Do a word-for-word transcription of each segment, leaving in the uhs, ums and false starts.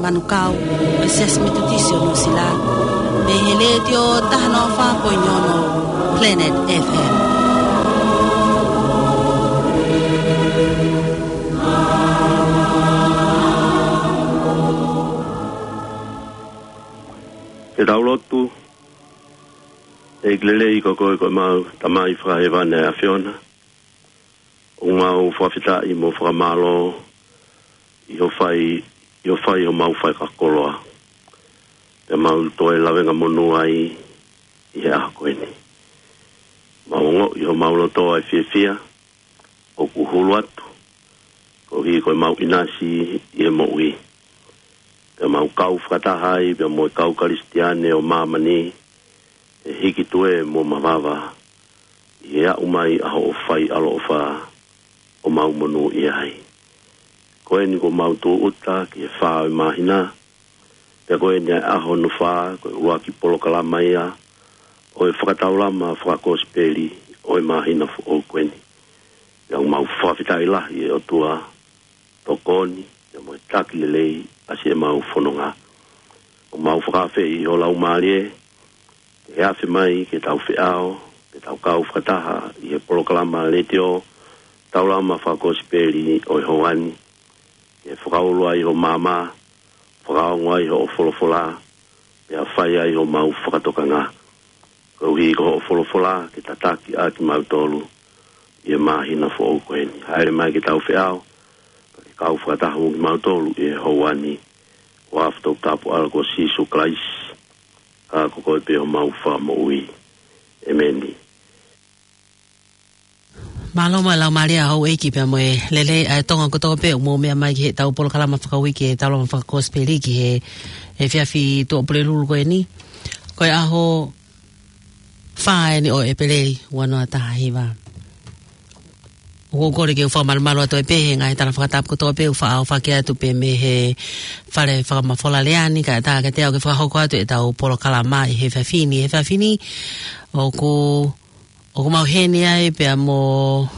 Manukau, ʻo e Siasi Metotisi ʻo Nuʻusila, mei he Letiō taha noa fā poini ono Planet F M. Ke tau lotu. ʻEiki lelei, ko koe ko ʻemau Tamai fakahēvani ʻa e ʻAfiona. ʻOku mau fakafetaʻi mo fakamālō ʻi hoʻo fai, ʻi hoʻo fai homau faikakoloa. Pea mau toe lavengamonū ai ʻi he ʻaho ko eni. Mau ongoʻi ʻi homau loto ʻa e fiefia ʻoku hulu atu koeʻuhi ko ʻemau ʻinasi ʻi he moʻui. Pea mau kau fakataha ai pea mo e kau Kalisitiane ʻo māmani, ʻe hiki tuē mo mavava ʻi he aʻu mai ʻa hoʻo fai ʻaloʻofa ʻo mau monūʻia ai. Ko eni kuo mau tūʻuta ki he fā ʻo e māhina, pea ko eni ʻa e ʻaho hono fā, ko e ʻuluaki polokalama ia ʻo e fakataulama fakakosipeli ʻo e māhina foʻou ko eni. Pea ʻoku mau fakafetaʻi lahi ʻe ʻOtua, tokoni, pea mo e taki lelei ʻa siʻemau fononga. ʻOku mau fakaafeʻi ho Laumālie ke afe mai ke tau feʻao, ke tau kau fakataha ʻi he polokalama letiō, taulama fakakosipeli ʻo e houa ni, ke fakaulu ai ho maama, fakaongo ai hoʻo folofola, pea fai ai homau fakatokanga. Koeʻuhi ko hoʻo folofola ke tataki ʻa kimautolu ʻi he māhina foʻou ko eni. Hāʻele mai ke tau feʻao, pea ke kau fakataha mo kimautolu ʻi he houa ni. ʻI he huafa toputapu ʻo ho ʻAlo ko Sīsū Kalaisi, ʻa ia ko koe pē homau Fakamoʻui. ʻEmeni. Mālō mo e laumālie ʻa houʻeiki pea mo e lelei ʻa e Tonga kotoa pē ʻoku mou meʻa mai ki heʻetau polokalama fakauike, taulama fakakosipeli ki he, he efiafi Tuʻapulelulu ko eni. Ko e ʻaho fā eni ʻo ʻEpeleli, ua noa taha hiva. ʻOku ou kole ke u fakamalumalu atu ai pē he ngaahi tala fakatapu kotoa pē ʻoku faʻa ʻohake atu pē mei he fale fakamafola lea ni, kae ʻatā kiate au ke fakahoko atu ʻetau polokalama ʻi he efiafi ni, he efiafi ni. ʻOku, ʻoku mau ʻi heni ai pea mo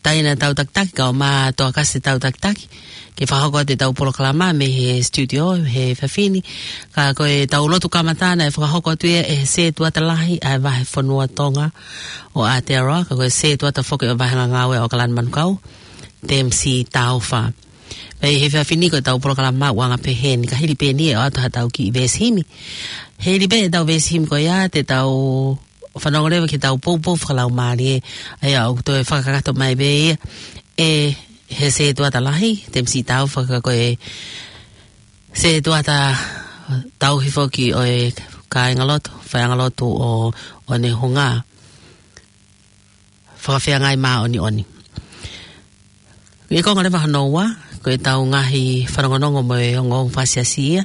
Taina Tautakitaki, kae ʻumaʻā Toakase Tautakitaki, ke fakahoko atu ʻetau polokalama mei he studio, he efiafi ni. Ka ko ʻetau lotu kamata naʻe fakahoko atu ia ʻe he sētuata lahi ʻa e vahefonua Tonga ʻo Aotearoa, ka ko e sētuata foki ʻo e vahenga ngāue ʻo ʻAokalani Manukau, Temisi Taufa. Pea ʻi he efiafi ni ko ʻetau polokalama ʻoku anga pehē ni, ka hili pē eni ʻe ʻoatu haʻatau kiʻi veesi himi. Hili pē ʻetau veesi himi ko ia te tau fanongo leva ki heʻetau poupou fakalaumālie, ʻa ia ʻoku toe fakakakato mai pē ia ʻe he sētuata lahi, Temisi Taufa, ka ko e sētuata tauhi foki ʻo e kāingalotu, faiʻangalotu ʻo, ʻo Onehunga Fakafeangai Māʻoniʻoni. ʻI he konga leva hono ua, ko ʻetau ngaahi fanongonongo mo e ongoongo fakasiasi ia.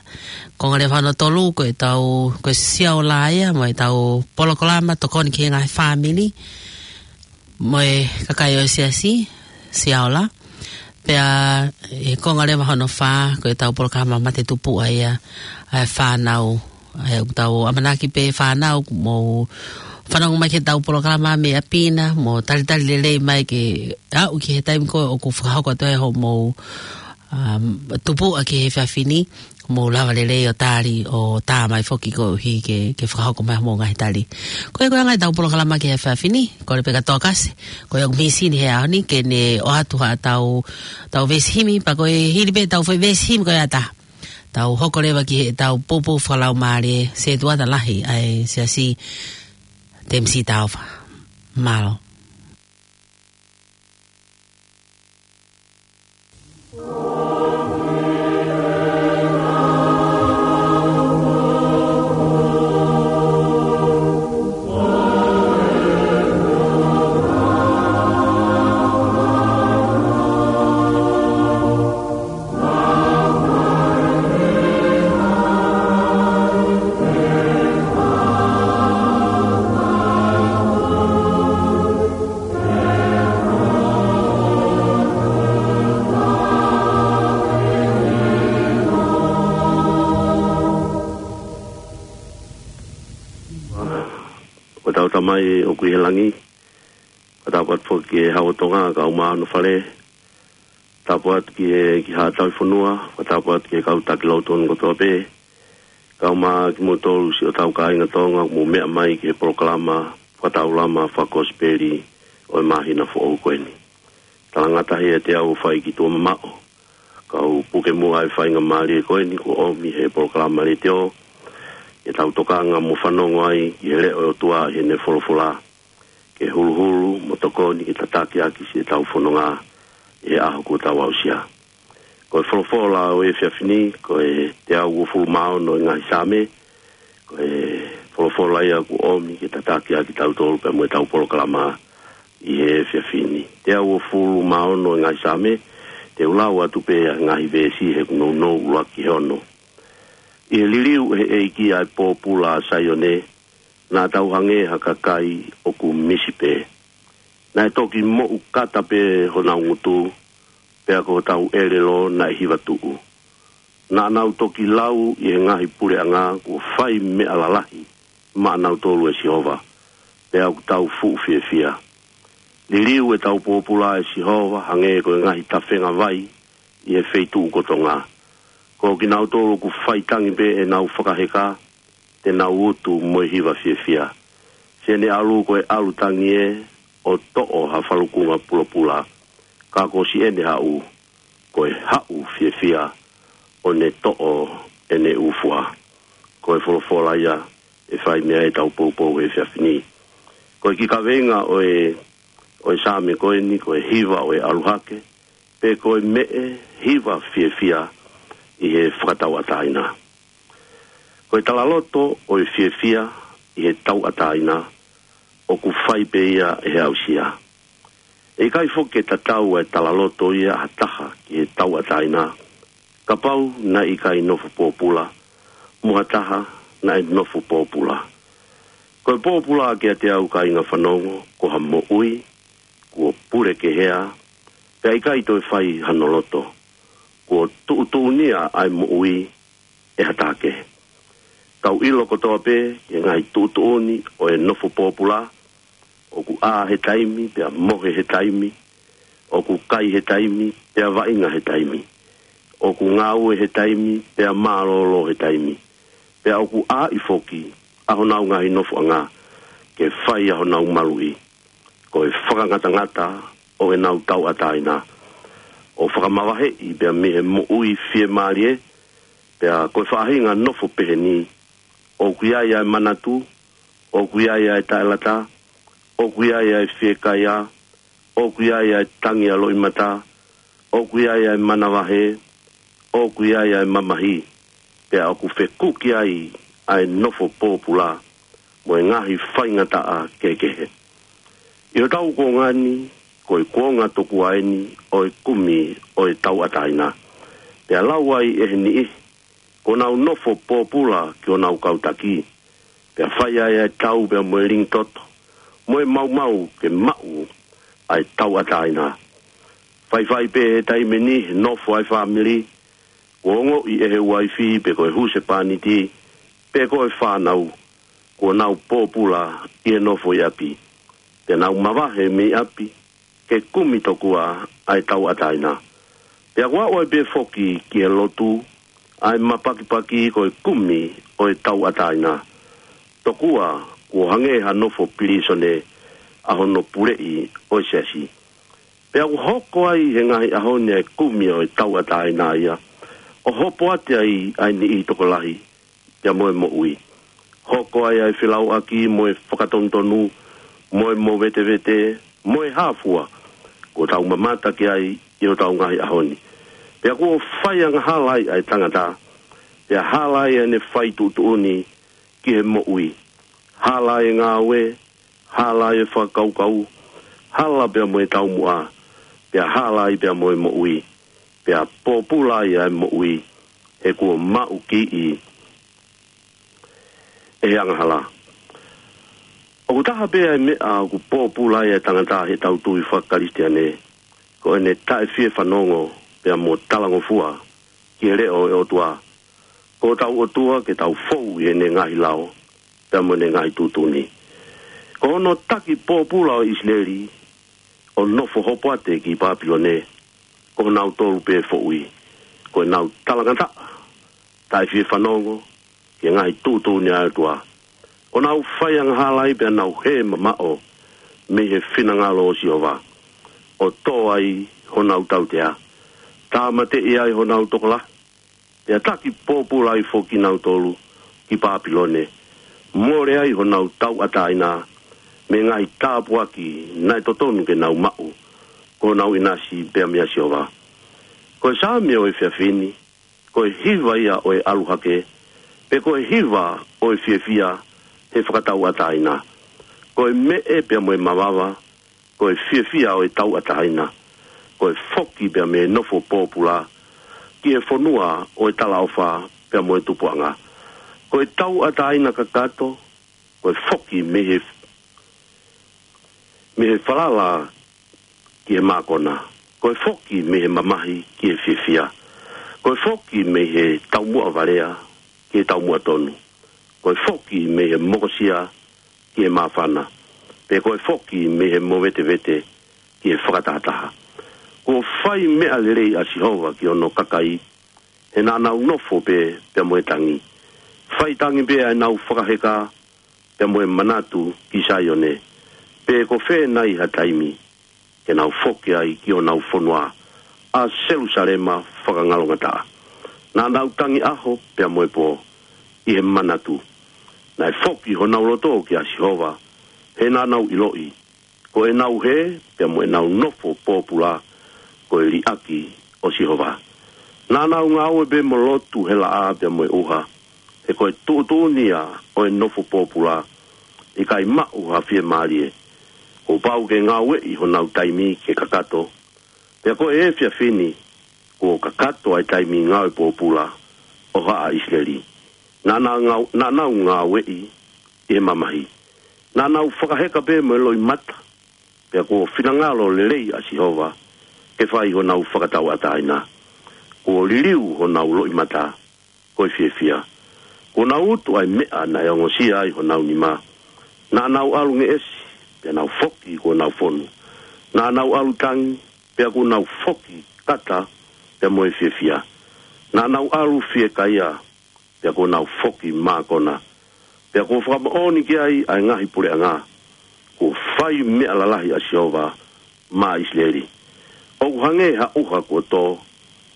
Konga leva hono tolu, ko ʻetau, ko e Siaola ia, mo ʻetau polokalama tokoni ki he ngaahi fāmili mo e kakai ʻo e siasi, Siaola. Pea ʻi he konga leva hono fā, ko ʻetau polokalama mate tupuʻa ia, ʻa e fānau. ʻA ia ʻoku tau ʻamanaki pē fānau, mou fanongo mai ki heʻetau polokalama mei ʻapi na, mou talitali lelei mai ke aʻu ki he taimi ko ē ʻoku fakahoko atu ai hoʻomou, um, tupuʻa ki he efiafi ni, mou lava lelei ʻo tali ʻo tā mai foki koeʻuhi ke, ke fakahoko mai hoʻomou ngaahi tali. Ko ia ko e anga ʻetau polokalama ki he efiafi ni, kole pē kia Toakase, ko ia ʻoku mīsini he ʻaho ni, ke ne ʻoatu haʻatau, tau veesi himi, pea ko e hili pē ʻetau foʻi veesi himi ko ia ʻatā, tau hoko leva ki heʻetau poupou fakalaumālie, sētuata lahi ʻa e siasi, Temisi Taufa. Mālō. Ko hotau Tamai ʻoku ʻi he langi, ko hotau patu foki ʻe hau o Tonga, kae ʻumaʻā hono fale, Tapu atu ki he, ki Haʻa Tauhi Fonua, fakatapu atu ki he kau taki lotonu kotoa pē. Kau mai kimoutolu siʻotau kāinga Tonga, mou meʻa mai ki he polokalama fakataulama fakakosipeli ʻo e māhina foʻou ko eni. Talangataʻa ʻe te au fai ki tuʻa mamaʻo. Kau puke muʻa e faingamālie ko eni, kuo ʻomi he polokalama letiō, ke tau tokanga mo fanongo ai ki he leʻo ʻo e ʻOtua ʻi heʻene folofola. Ke huluhulu mo tokoni ke tataki ʻaki siʻetau fononga ʻi he ʻaho kuo tau aʻusia. Ko e folofola ʻo e efiafi ni, ko e teau uofulu mā ono ʻo e ngaahi Saame, ko e folofola ia kuo ʻomi ke tataki ʻaki kitautolu pea mo ʻetau polokalama ʻi he efiafi ni. Teau uofulu mā ono ʻo e ngaahi Saame, te u lau atu pē ʻa e ngaahi veesi he kuo nounou ʻuluaki ki he ono. ʻI he liliu ʻe he ʻEiki ʻa e pōpula ʻa Saione, naʻa tau hangē ha kakai ʻoku misi pē. Naʻe toki moʻu kata pē honau ngutu, pea ko hotau ʻelelo naʻe hiva tuʻu. Naʻa nau toki lau ʻi he ngaahi puleʻanga kuo fai meʻa lalahi maʻanautolu ʻe Sihova, pea ʻoku tau fuʻu fiefia. Liliu ʻetau pōpula ʻe Sihova hangē ko e ngaahi tafenga vai ʻi he feituʻu ko Tonga. Ko kinautolu ʻoku faitangi pē ʻenau fakaheka, te nau utu mo e hiva fiefia. Siʻene ʻalu ko e ʻalu tangi ē ʻo toʻo ha falukunga pulapula. Ka ko siʻene haʻu, ko e haʻu fiefia ʻo ne toʻo ʻene ʻū fua. Ko e folofola ia ʻe fai mei ai ʻetau poupou he efiafi ni. Ko e kiʻi kaveinga ʻo e, ʻo e Saame ko eni, ko e hiva ʻo e ʻalu hake, pe ko e meʻe hiva fiefia ʻi he fakatauʻatāina. Ko e talaloto ʻo e fiefia ʻi he tauʻatāina, ʻoku fai pē ia ʻe he aʻusia. ʻE ʻikai foki ke tatau ʻa e talaloto ia ʻa ha taha ki he tauʻatāina, kapau naʻe ʻikai nofo pōpula mo ha taha naʻe nofo pōpula. Ko e pōpula kiate au kāinga fanongo, ko ha moʻui kuo pule kehea, pea ʻikai toe fai hano loto. Kuo tuʻutuʻunia ʻa e moʻui ʻe ha taha kehe. Tau ʻilo kotoa pē ki he ngaahi tuʻutuʻuni ʻo e nofo pōpula, ʻoku ʻā he taimi, pea mohe he taimi, ʻoku kai he taimi, pea vaʻinga he taimi, ʻoku ngāue he taimi, pea mālōlō he taimi, pea ʻoku ʻai foki ʻa honau ngaahi nofoʻanga ke fai ʻa honau maluʻi. Ko e fakangatangata ʻo ʻenau tauʻatāina, ʻo fakamavaheʻi pea mei he moʻui fiemālie, pea ko e faʻahinga nofo pehē ni, ʻoku ʻi ai ʻa e manatu, ʻoku ʻi ai ʻa e taʻelata, ʻoku ʻi ai ʻa e fiekaia, ʻoku ʻi ai ʻa e tangi ʻa loʻimata, ʻoku ʻi ai ʻa e manavahē, ʻoku ʻi ai ʻa e mamahi, pea ʻoku fekuki ai ʻa e nofo pōpula mo e ngaahi faingataʻa kehekehe. ʻI hotau kuonga ni, ko e kuonga tokua eni ʻo e kumi ʻo e tauʻatāina. Pea lau ai ʻe he niʻihi, kuo nau nofo pōpula ki honau kau taki, pea fai ai ʻa e tau pea mo e lingi toto, mo e maumau ke maʻu ʻa e tauʻatāina. Faifai pē he taimi ni he nofo ʻa e fāmili, kuo ongoʻi ʻe he uaifi pe ko e husepāniti, pe ko e fānau, kuo nau pōpula ʻi he nofo ʻi ʻapi. Te nau mavahe mei ʻapi, ke kumi tokua ʻa e tauʻatāina. Pea kuo aʻu ai pē foki ki he lotu, ʻa e mapakipaki ko e kumi ʻo e tauʻatāina. Tokua, kuo hangē ha nofo pilīsone ʻa hono puleʻi ʻo e siasi. Pea ʻoku hoko ai he ngaahi ʻaho ni ʻa e kumi ʻo e tauʻatāina ia, ʻo hopoate ai ʻa e niʻihi tokolahi, pea mo e moʻui. Hoko ai ʻa e felauʻaki mo e fakatonutonu, mo e movetevete, mo e hā fua, kuo tau mamata ki ai ʻi hotau ngaahi ʻaho ni. Pea kuo fai angahala ai ʻa e tangata, pea hala ai ʻene fai tuʻutuʻuni ki he moʻui. Hala ai e ngāue, hala ai e fakakaukau, hala pea mo e taumuʻa, pea hala ai pea mo e moʻui, pea pōpula ai ʻa e moʻui, he kuo maʻu kiʻi ʻe he angahala. ʻOku taha pē ʻa e meʻa ʻoku pōpula ai ʻa e tangata heʻetau tui fakakalisitiane, ko ʻene taʻefiefanongo pea mo talangofua ki he leʻo ʻo e ʻOtua. Ko hotau ʻOtua ke tau fou ʻi heʻene ngaahi lao, pea mo ʻene ngaahi tuʻutuʻuni. Ko hono taki pōpula ʻo ʻIsileli, ʻo nofo hopoate ki Papilone, ko nautolu pē foʻui, ko ʻenau talangataʻa, taʻe fie fanongo ki he ngaahi tuʻutuʻuni ʻa e ʻOtua. ʻO nau fai angahala ai pea nau hē mamaʻo mei he finangalo ʻo Sihova, ʻo tō ai honau tautea, tāmateʻi ai honau tokolahi, pea taki pōpula ai foki kinautolu ki Pāpilone, mole ai honau tauʻatāina mei he ngaahi tāpuaki naʻe totonu ke nau maʻu, ko honau ʻinasi pea meia Sihova. Ko e Saame ʻo e efiafi ni, ko e hiva ia ʻo e ʻalu hake, pe ko e hiva ʻo e fiefia he fakatauʻatāina. Ko e meʻe pea mo e mavava, ko e fiefia ʻo e tauʻatāina. Ko e foki pea mei he nofo pōpula ki he fonua ʻo e talaʻofa pea mo e tupuʻanga. Ko e tauʻatāina kakato, ko e foki mei he, mei he falala ki he mākona. Ko e foki mei he mamahi ki he fiefia. Ko e foki mei he taumuʻa valea ki he taumuʻa tonu. Ko e foki mei he mokosia ki he māfana. Pe ko e foki mei he movetevete ki he fakatahataha. Kuo fai meʻa lelei ʻa Sihova ki hono kakai, he naʻa nau nofo pē pea mo e tangi. Fai tangi pē ʻa ʻenau fakaheka pea mo e manatu ki Saione, pe ko fē nai ha taimi ke nau foki ai ki honau fonua, ʻa Selusalema fakangalongataʻa. Naʻa nau tangi ʻaho pea mo e pō ʻi he manatu. Naʻe foki honau loto kia Sihova, he naʻa nau ʻiloʻi ko ʻenau hē pea mo ʻenau nofo pōpula ko e liʻaki ʻo Sihova. Naʻa nau ngāue pē mo lotu he laʻā pea mo e ʻuha, he ko e tuʻutuʻuni ia ʻo e nofo pōpula, ʻikai maʻu ha fiemālie. Kuo pau ke ngāueʻi honau taimi ke kakato, pea ko e efiafi ni kuo kakato ʻa e taimi ngāue pōpula ʻo haʻa ʻIsileli. Naʻa nau ngāu-, naʻa nau ngāueʻi ʻi he mamahi. Naʻa nau fakaheka pē mo e loʻimata, pea kuo finangalo lelei ʻa Sihova ke fai honau fakatauʻatāina. Kuo liliu honau loʻimata ko e fiefia. Kuo nau utu ʻa e meʻa naʻe ongosia ai honau nima. Naʻa nau ʻalu ngeʻesi, pea nau foki kuo nau fonu. Naʻa nau ʻalu tangi, pea kuo nau foki kata pea mo e fiefia. Naʻa nau ʻalu fiekaia, pea kuo nau foki mākona. Pea kuo fakamoʻoni ki ai ʻa e ngaahi puleʻanga kuo fai meʻa lalahi ʻa Sihova maʻa ʻIsileli. ʻOku hangē ha ʻuha kuo tō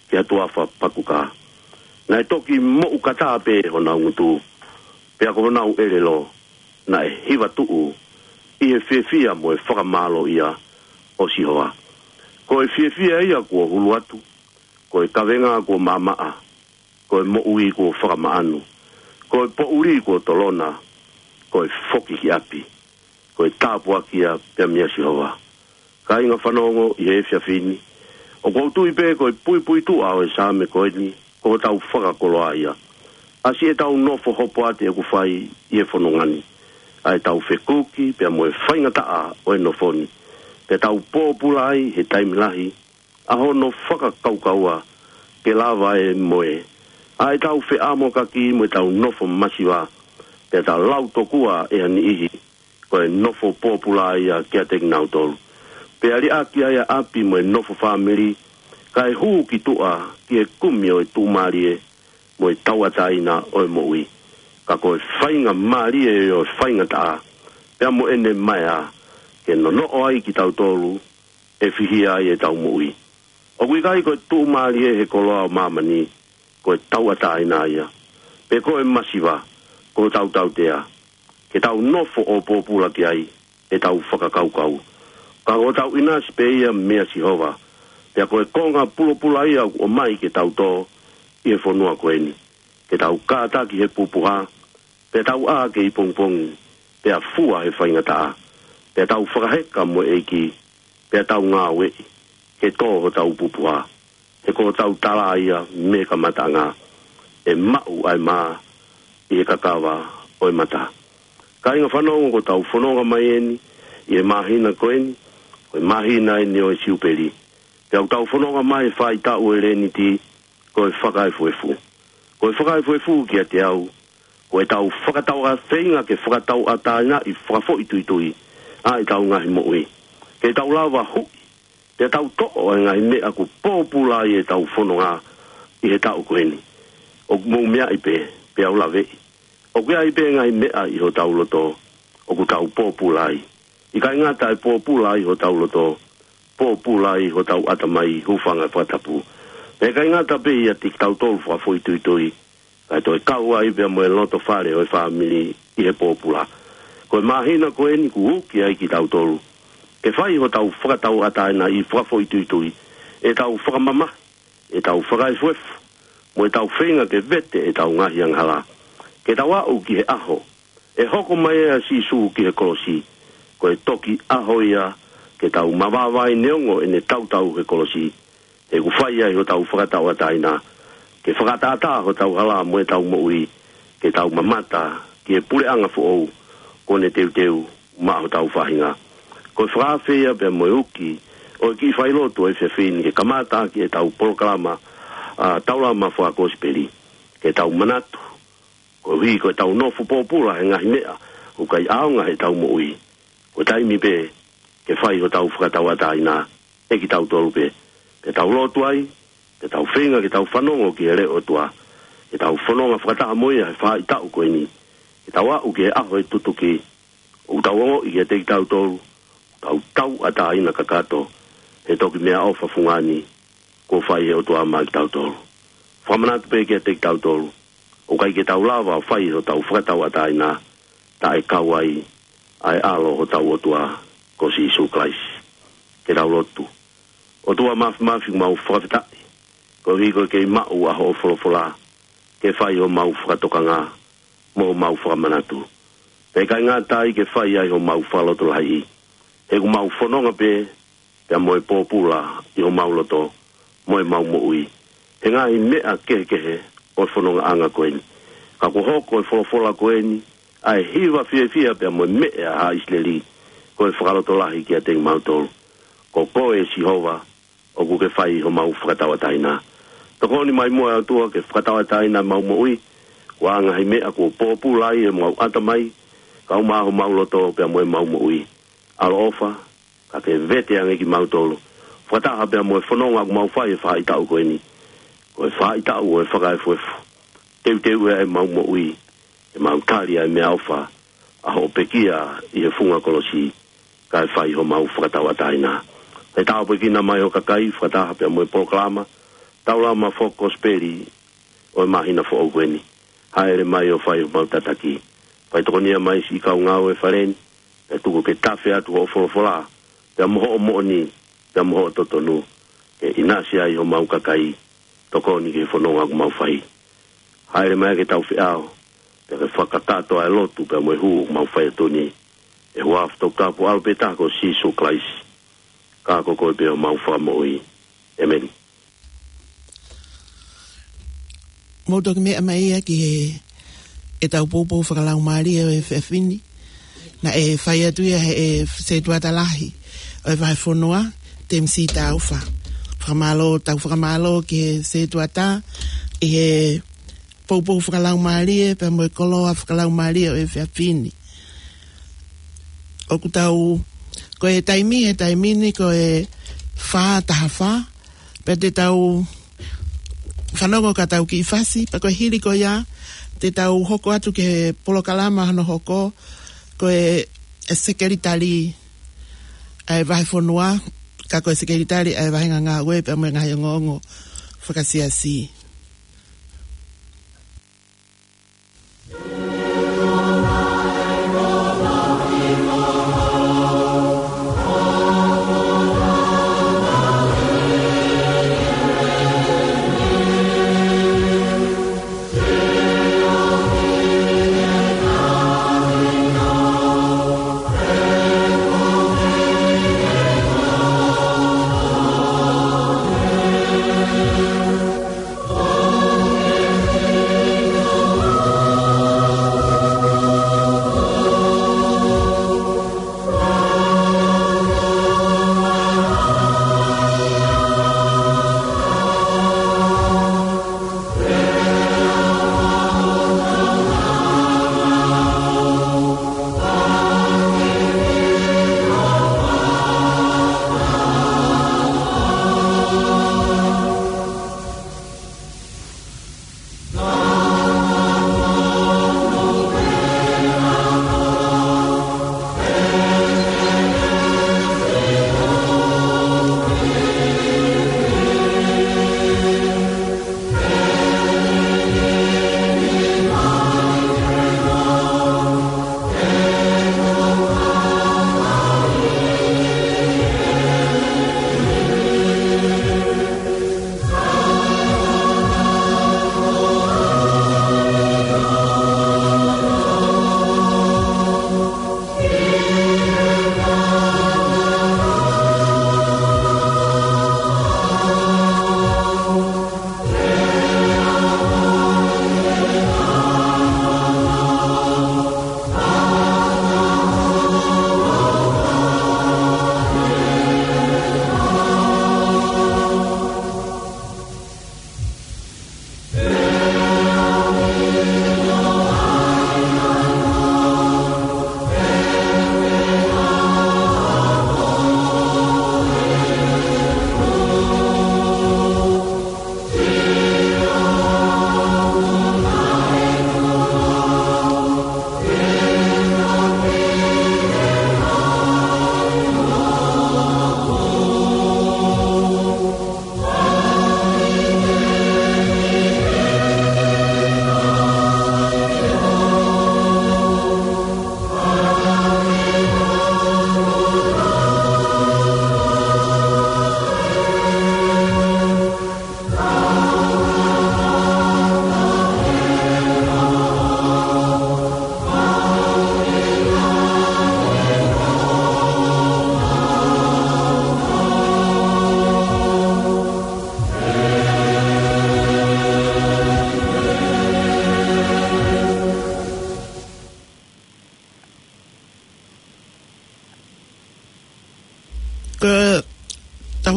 ki ha tuʻafa pakuka. Naʻe toki moʻukata pē honau ngutu, pea ko honau ʻelelo naʻe hiva tuʻu ʻi he fiefia mo e fakamālōʻia ʻo Sihova. Ko e fiefia ia kuo hulu atu, ko e kavenga kuo maʻamaʻa, ko e moʻui kuo fakamaʻanu, ko e poʻuli kuo tolona, ko e foki ki ʻapi, ko e tāpuaki ia pea meia Sihova. Kāinga fanongo ʻi he efiafi ni, ʻoku ou tui pē ko e puipuituʻa ʻo e Saame ko eni, ko hotau fakakoloa ia. ʻAsi ʻetau nofo hopoate ʻoku fai ʻi he fononga ni, ʻa ʻetau fekuki pea mo e faingataʻa ʻo e nofo ni, pea tau pōpula ai he taimi lahi, ʻa hono fakakaukaua ke lava e moe, ʻa ʻetau feʻamokaki mo ʻetau nofo masiva, pea tau lau tokua ʻe ha niʻihi, ko e nofo pōpula ia kiate kinautolu. Pea liʻaki ai ʻa ʻapi mo e nofo fāmili, kae hū ki tuʻa ki he kumi ʻo e tuʻumālie mo e tauʻatāina ʻo e moʻui. Ka ko e faingamālie ʻo e faingataʻa, pea mo ʻene maea, ke nonoʻo ai kitautolu, ʻe fihia ai ʻetau moʻui. ʻOku ʻikai ko e tuʻumālie he koloa ʻo māmani, ko e tauʻatāina ia, pe ko e masiva, ko hotau tautea, ke tau nofo ʻo pōpula ki ai ʻetau fakakaukau. Ka ko hotau ʻinasi pē ia meia Sihova, pea ko e konga pulopula ia ʻoku ʻomai ke tau tō ʻi he fonua ko eni. Ke tau kātaki he pupuha, pea tau ʻā kei pongipongi, pea fua he faingataʻa, pea tau fakaheka mo e ʻEiki, pea tau ngāueʻi, ke tō hotau pupuha, he ko hotau tala ia mei he kamataʻanga, ʻe maʻu ʻa e mā ʻi he kakava ʻo e mata. Kāinga fanongo, ko ʻetau fononga mai eni ʻi he māhina ko eni, ko e māhina eni ʻo e Siupeli. Pea ʻoku tau fononga mai he faʻahitaʻu ʻo e Leniti, ko e fakaefuefu. Ko e fakaefuefu kiate au, ko ʻetau fakatauʻa-, feinga ke fakatauʻatāinaʻi fakafoʻituitui ʻa ʻetau ngaahi moʻui. Ke tau lava huʻi, Pea tau toʻo ʻa e ngaahi meʻa kuo pōpula ai ʻetau fononga ʻi he taʻu ko eni. ʻOku mou meaʻi pē, pea u laveʻi. ʻOku ʻi ai pē ngaahi meʻa ʻi hotau loto ʻoku tau pōpula ai. ʻIkai ngata ʻi he pōpula ai hotau loto, pōpula ai hotau ʻatamai, hūfanga he fakatapu. Pea ʻikai ngata pē ʻiate kitautolu fakafoʻituitui, kae toe kau ai pea mo e loto fale ʻo e fāmili ʻi he pōpula. Ko e māhina ko eni kuo uki ai kitautolu ke fai hotau fakatauʻatāina ʻi he fakafoʻituitui, ʻetau fakamamahi, ʻetau fakaefuefu, mo ʻetau feinga ke vete ʻetau ngaahi angahala, ke tau aʻu ki he ʻaho ʻe hoko mai ai ʻa Sīsū ki he kolosi. Ko e toki ʻaho ia ke tau mavavae neongo ʻene tautau he kolosi, he ʻoku fai ai hotau fakatauʻatāina, ke fakatātā hotau hala mo ʻetau moʻui, ke tau mamata ki he puleʻanga foʻou kuo ne teuteu maʻa hotau faʻahinga. Ko e fakaafe ia pea mo e uki ʻo e kiʻi failotu ʻo e efiafi ni ke kamata ʻaki ʻetau polokalama, ʻa, Taulama Fakakosipeli, ke tau manatu, koeʻuhi ko ʻetau nofo pōpula he ngaahi meʻa ʻoku ʻikai ʻaonga heʻetau moʻui, ko e taimi pē ke fai hotau fakatauʻatāina ʻe kitautolu pē, ke tau lotu ai, ke tau feinga ke tau fanongo ki he leʻo ʻo e ʻOtua, ke tau fononga fakataha mo ia he faʻahitaʻu ko eni, ke tau aʻu ki he ʻaho ʻe tutuki, ʻoku tau ongoʻi kiate kitautolu, tau tauʻatāina kakato, he toki meʻaʻofa fungani kuo fai ʻe he ʻOtua maʻa kitautolu. Fakamanatu pē kiate kitautolu, ʻoku ʻikai ke tau lava ʻo fai hotau fakatauʻatāina taʻe kau ai ʻa e ʻAlo hotau ʻOtua ko Sīsū Kalaisi. Ke tau lotu. ʻOtua Māfimafi, mau fakafetaʻi koeʻuhi ko e kei maʻu ʻa hoʻo folofola ke fai homau fakatokanga mo homau fakamanatu. Pea ʻikai ngata ai ke fai ai homau fakalotolahiʻi, he ʻoku mau fononga pē pea mo e pōpula ʻi homau loto mo ʻemau moʻui he ngaahi meʻa kehekehe ʻo e fonongaʻanga ko eni. Ka kuo hoko e folofola ko eni ʻa e hiva fiefia pea mo e meʻa ʻa ʻIsileli, ko e fakalotolahi kiate kimautolu. Ko koe Sihova ʻoku ke fai homau fakatauʻatāina. Tokoni mai muʻa ʻe ʻOtua ke fakatauʻatāina ʻemau moʻui, ko e ngaahi meʻa kuo pōpula ai ʻemau ʻatamai, kau maʻa homau loto pea mo ʻemau moʻui. ʻAloʻofa, ka ke vete ange kimautolu, fakataha pea mo e fononga ʻoku mau fai he faʻahitaʻu ko eni. Ko e faʻahitaʻu ʻo e fakaefuefu. Teuteu ʻemau moʻui, ke mau tali ʻa e meʻaʻofa ʻa hoʻo pekia ʻi he funga kolosi, kae fai homau fakatauʻatāina. Ke tāpuekina mai ho kakai, fakataha pea mo e polokalama Taulama Fakakosipeli ʻo e māhina foʻou ko eni. Hāʻele mai ʻo fai homau tataki. Faitokonia mai siʻi kau ngāue he fale ni, pea tuku ke tafe atu hoʻo folofola, pea mo hoʻo moʻoni, pea mo hoʻo totonu, ke ʻinasi ai homau kakai, tokoni ki he fononga ʻoku mau fai. Hāʻele mai ke tau feʻao, pea ke fakakakato ʻa e lotu pea mo e hū ʻoku mau fai atu ni, ʻi he huafa toputapu ʻo e ʻAlo pē taha ko Sīsū Kalaisi, ka ko koe pē homau Fakamoʻui. ʻĒmeni. Mou toki meʻa mai ia ki he, ʻetau poupou fakalaumālie ʻo e efiafi ni. Naʻe fai atu ia ʻe he sētuata lahi ʻo e vahefonua, Temisi Taufa. Fakamālō, tau fakamālō ki he sētuata ʻi he poupou fakalaumālie pea mo e koloa fakalaumālie ʻo e efiafi ni. ʻOku tau, ko e taimi, he taimi ni ko e fā taha fā, pea te tau fanongo ki heʻetau kiʻi fasi, pea ko e hili ko ia te tau hoko atu ki he polokalama hono hoko, ko e, e sekelitali ʻa e vahefonua, ka ko e sekelitali ʻa e vahenga ngāue pea mo e ngaahi ongoongo fakasiasi.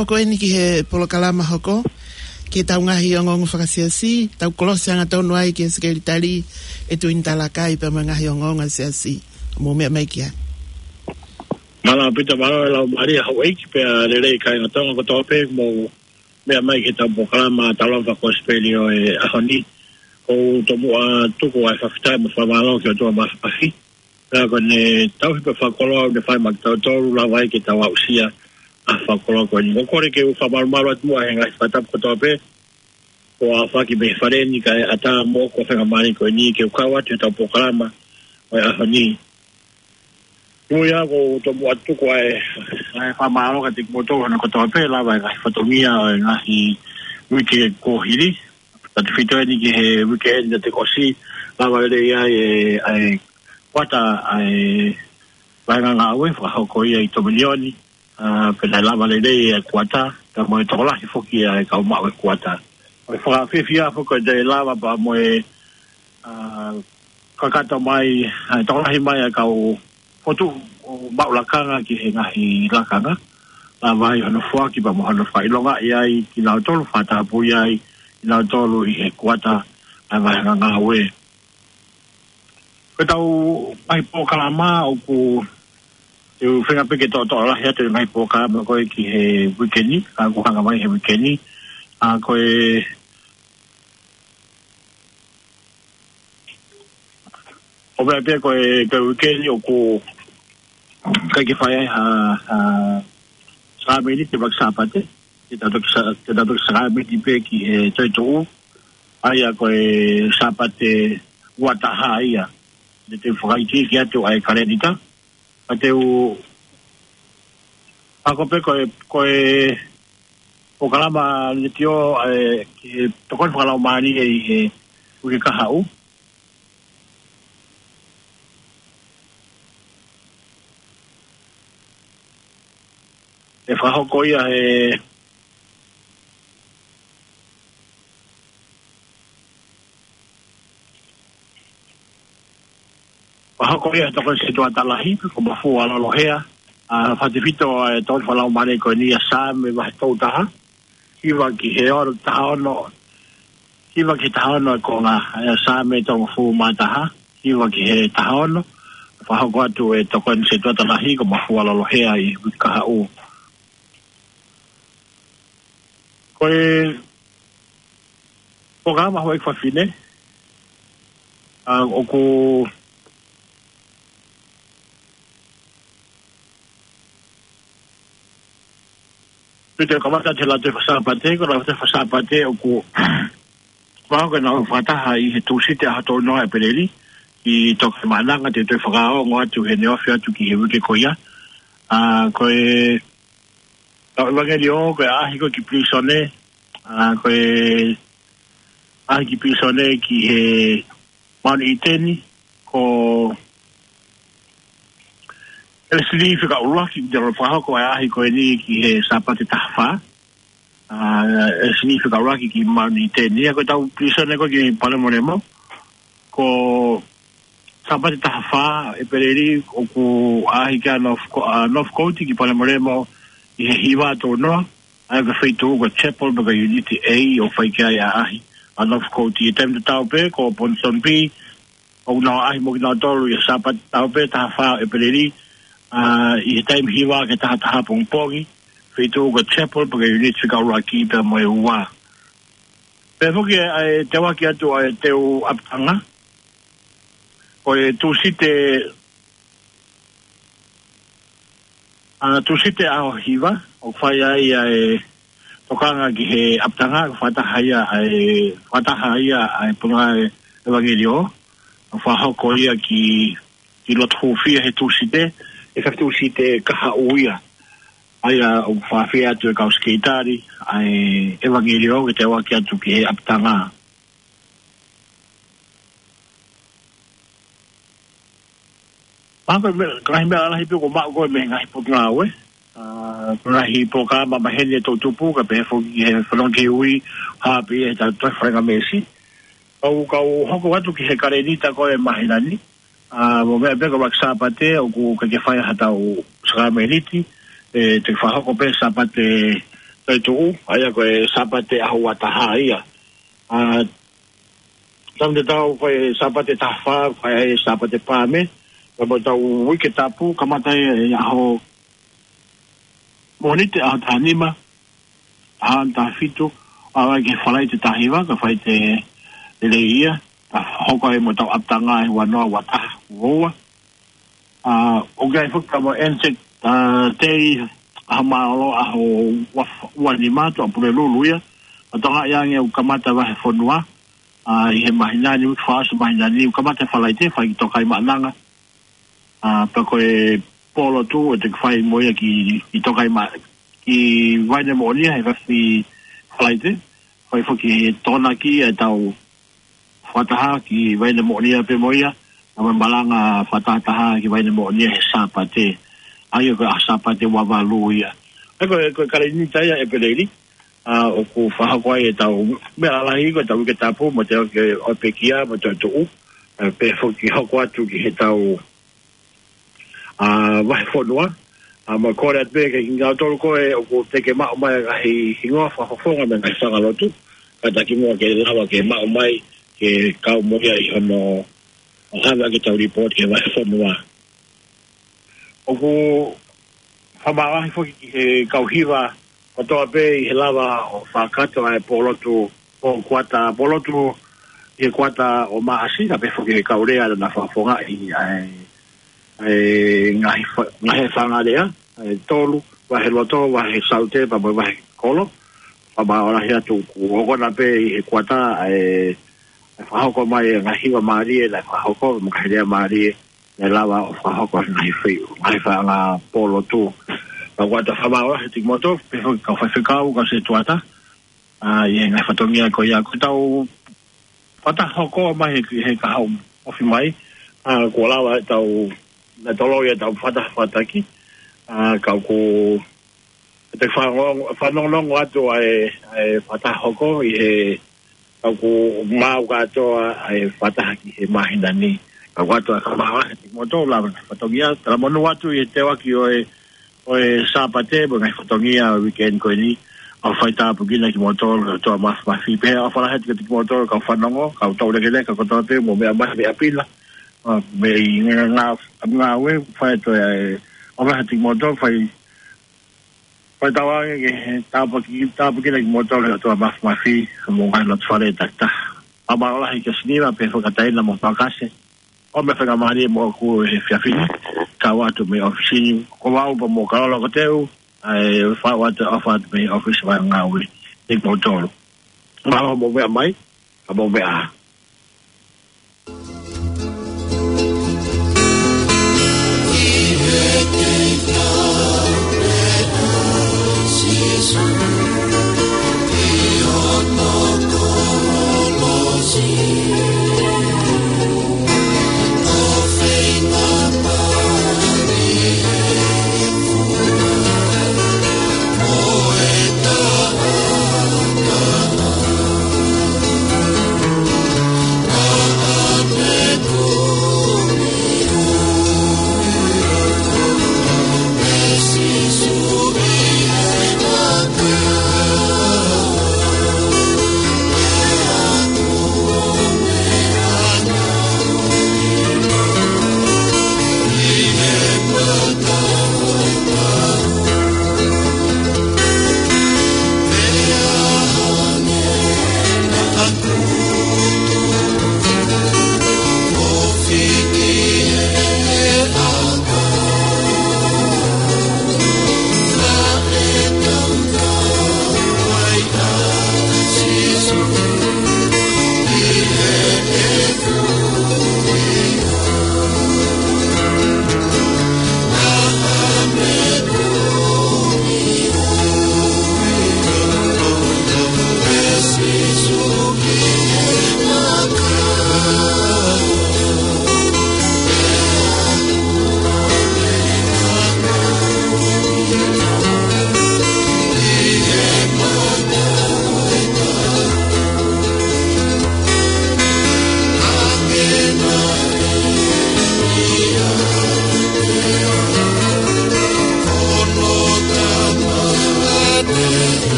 Hoko eni ki he polokalama hoko, ki he tau ngaahi ongoongo fakasiasi, tau kolosi angatonu ai ki he sekelitali ʻe Tuini Talakai pea mo e ngaahi ongoongo siasi. Mou meʻa mai ki ai. Mālō Pita, mālō e lau mālie houʻeiki pea lelei kāinga Tonga kotoa pē mou meʻa mai ki he tau polokalama Talofa Kosipeli ʻo e ʻaho ni. ʻOku ou tomuʻa tuku ʻa e fakafetaʻi mo e fakamālō ki he ʻOtua Māfimafi. Pea ko ʻene tauhi pē fakakoloa ʻoku ne fai maʻa kitautolu lava ai ke tau aʻusia ʻa e fakakoloa ko eni. ʻOku ou kole ke u fakamalumalu atu muʻa he ngaahi fakatapu kotoa pē kuo aofaki mei he fale ni kae ʻatā mo hoku faingamālie ko eni ke u kau atu he tau polokalama ʻo e ʻaho ni. Ko ia ʻoku ou tomuʻa tuku ʻa e, ʻa e fakamālō kiate kimoutolu hono kotoa pē lava e ngaahi fatongia ʻo e ngaahi uike kuo hili. Tautefito eni ki he uike eni naʻe ʻosi, lava lelei ai e, ʻa e kuata ʻa e vahenga ngāue fakahoko ia ʻi Tominioni, ā, pea naʻe lava lelei e kuata, pea mo e tokolahi foki ʻa e kau maʻu e kuata. ʻOku fakafiefia foki ko e toe lava pea mo e, ā, kakato mai, ā, tokolahi mai ʻa e kau fotu ʻo maʻu lakanga ki he ngaahi lakanga. Lava ai hono foaki pea mo hono fakaʻilongaʻi ai kinautolu, fakatapui ai kinautolu ʻi he kuata ʻa e vahenga ngāue. Ko e tau ngaahi polokalama ʻoku ou feinga pē ke toʻotoʻo lahi atu e ngaahi polokalama ko ē ki he uike ni, ā, ʻoku hanga mai he uike ni. Ā, ko e, ʻo meʻa pē ko e, ko e uike ni ʻoku ʻikai ke fai ai ha, ha sākalamēniti he ʻaho Sāpate, te tau toki sā-, te tau toki sākalamēniti pē ki he toetuʻu, ʻa ia ko e Sāpate ua taha ia. Te u fakaikiiki atu ʻa e kalēnita, ka te u ako pē ko e, ko e polokalama letiō, ē, ki he tokoni fakalaumālie ʻi he uike kahaʻu. ʻE fakahoko ia he, fakahoko ia he tokoni setuata lahi, ko Mafua Lolohea, ā, fakatefito ʻa e tokoni fakalaumālie ko eni ʻa Saame vahe tolu taha, hiva ki he ono, taha ono, hiva ki he taha ono e konga, ʻa ia Saame tolungofulu mā taha, hiva ki he taha ono, fakahoko atu e tokoni setuata lahi ko Mafua Lolohea ʻi he uike kahaʻu. Ko e polokalama houʻeiki fafine, ā, ʻoku pea te u kamata he Lautohi Faka-Sāpate, ko e Lautohi Faka-Sāpate ʻoku fakahoko ʻena ʻo fakataha ʻi he Tūsite ʻaho tolu noa ʻEpeleli, ʻi Tokaimaʻananga, te u toe fakaongo atu heʻene ofi atu ki he uike ko ia. Ā, ko e tau ʻevangeliō, ko e ʻaʻahi ko ē ki pilīsone, ā, ko e ʻaʻahi ki pilīsone ki he Maʻoniʻiteni, ko ʻElesini Fika ʻUluaki, te u fakahoko e ʻaʻahi ko eni ki he Sāpate taha fā. Ā, ʻElesini Fika ʻUluaki ki Maʻoniʻiteni, ʻa ia ko e tau pilīsone ko ē ki Palemolemo, ko Sāpate taha fā ʻEpeleli ʻoku ʻaʻahi ki ai ʻa North Co-, ā, Northcote ki Palemolemo ʻi he hiva tolu noa, ʻa ia ko e feituʻu ko e Chapel pe ko e Unit A ʻoku fai ki ai ʻa e ʻaʻahi ʻa Northcote. ʻI he taimi tatau pē ko Ponsonby, ʻoku nau ʻaʻahi mo kinautolu ʻi he Sāpate tatau pē taha fā ʻEpeleli, ā, ʻi he taimi hiva ki he taha taha pongipongi, feituʻu ko e Chapel pe ko e Unit Fika ʻUluaki pea mo e ua. Pea foki ʻa e teuaki atu ʻa e teu ʻapitanga, ko e Tūsite, ā, Tūsite ʻaho hiva, ʻoku fai ai ʻa e tokanga ki he ʻapitanga, ʻoku fakataha ia ʻa e, fakataha ia ʻa e punonga ʻevangeliō, ʻoku fakahoko ia ki, ki loto hūfia he Tūsite, ʻi he Tūsite kahaʻu ia. ʻA ia ʻoku fakaafeʻi atu e kau sekelitali ʻa e ʻevangeliō ke teuaki atu ki he ʻapitanga. Pea ko e meʻa, ngaahi meʻa lalahi pē ʻoku maʻu ko ē mei he ngaahi potungāue. Ā, ko e ngaahi polokalama maheni ʻe toʻutupu, kae pehē foki ki he fononga ki he ui, hā pē ia he tau toe faingamālie. Kau, kau hoko atu ki he kalēnita ko ē māhina ni. Ā, mou meʻa pē ko e ʻaho Sāpate, ʻoku ʻikai ke fai ha tau sākalamēniti, ē, te fakahoko pē Sāpate Toetuʻu, ʻa ia ko e Sāpate ʻaho ua taha ia. ʻA, taimi te tau fai Sāpate taha fā, fai ai Sāpate Paame, pea mo ʻetau Uike Tapu, kamata ʻi he ʻaho Mōnite ʻaho taha nima, ʻaho taha fitu, ʻo aʻu ki he Falaite taha hiva, ko e Falaite Lelei ia, ka hoko ai mo ʻetau ʻapitanga ʻi he ua noa, ua taha, ua ua. ʻA, ʻoku ʻi ai foki ʻetau Anzac, ʻa, Day, ʻaho mālōlō, ʻaho ua, ua nima, Tuʻapulelulu ia. ʻA, Tonga ia ange ʻoku kamata vahefonua, ʻa, ʻi he māhina ni, ʻoku fakaʻosi māhina ni, ʻoku kamata Falaite, fai ki Tokaimaʻananga. ʻA, pea ko e pōlotu, ʻe toki fai mo ia ki, ki Tokaima-, ki Vainemoʻonia, he efiafi Falaite. Fai foki he Tokonaki ʻetau fakataha ki Vainemoʻonia pē mo ia, pea mo e malanga fakatahataha ki Vainemoʻonia he Sāpate. ʻA ia ko e ʻaho Sāpate ua valu ia. ʻA ia ko e, ko e kalēnita ia ʻEpeleli, ʻa, ʻoku fakahoko ai ʻetau meʻa lalahi ko ʻetau Uike Tapu, mo ʻetau ke ʻo pekia, mo Toetuʻu, ʻa, pea foki hoko atu ki heʻetau ʻa, vahefonua, ʻa, mo e kole atu pē kiate kimoutolu ko ē ʻoku teʻeki ke maʻu mai ha ngaahi hingoa fakafofonga mei he ngaahi fanga lotu, kātaki muʻa ke lava ke maʻu mai ke kau mo ia ʻi hono ʻave ʻaki ʻetau lipooti ki he vahefonua. ʻOku fakamālohi foki ki he kau hiva kotoa pē ʻi he lava ʻo fakakakato ʻa e pōlotu ʻo kuata, pōlotu ʻi he kuata ʻo Maʻasi, ka pehē foki ki he kau lea naʻa nau fakafofongaʻi ʻa e, ʻa e ngaahi fa-, ngaahi fanga lea, ʻa e tolu, vahe loto, vahe saute, pea mo e vahe kolo. Fakamālohi atu ʻoku ʻokona pē ʻi he kuata ʻa e, ʻa e fakahoko mai e ngaahi hiva mālie, naʻe fakahoko, mo e ngaahi lea mālie, naʻe lava ʻo fakahoko he ngaahi feʻi, ngaahi fanga pōlotu. Ka ʻoku ʻatā fakamālohi atu kiate kimoutolu, pehē foki ki he kau faifekau, kau setuata, ʻa, ʻi he ngaahi fatongia ko ia, ko ʻetau fakataha hoko mai he, he kahaʻu ofi mai, ʻa, kuo lava ʻetau, naʻe toloi ʻetau fakataha fakatakimuʻa, ʻa, ka ʻoku ʻe te fanongo, fanongonongo atu ʻa e, ʻa e fakataha hoko ʻi he, ka ʻoku maau kātoa ʻa e fakataha ki he māhina ni. Ka ʻoku ʻatā fakamālohi atu kiate kimoutolu lava ngaahi fatongia, talamonū atu ʻi he teuaki ʻo e, ʻo e Sāpate, mo e ngaahi fatongia ʻo e weekend ko eni, ʻofa ʻi tāpuekina kimoutolu, ʻOtua Māfimafi, pea ʻofa lahi atu kiate kimoutolu, kau fanongo, kau toulekeleka, kotoa pē, mou meʻa mai, meʻa pila, ʻa, mei he ngā, ngā, ngāue, fai atu ʻa e, ʻofa lahi atu kiate kimoutolu, fai, fai tauange ke tāpuaki, tāpuekina kimoutolu ʻe he ʻOtua Māfimafi, mo e ngaahi loto fale takitaha. Fakamālō lahi kia Siniva, pea fakataina mo Fakase. ʻO meʻa faingamālie moʻoku he efiafi ni, kau atu mei he ʻōfisi ni, ko au pea mo Kalolo Koteu, ʻa e fau atu ʻofa atu mei he ʻōfisi ʻo e ngāue. Kiate kimoutolu. Mālō hoʻomou meʻa mai, ka mou meʻa ā.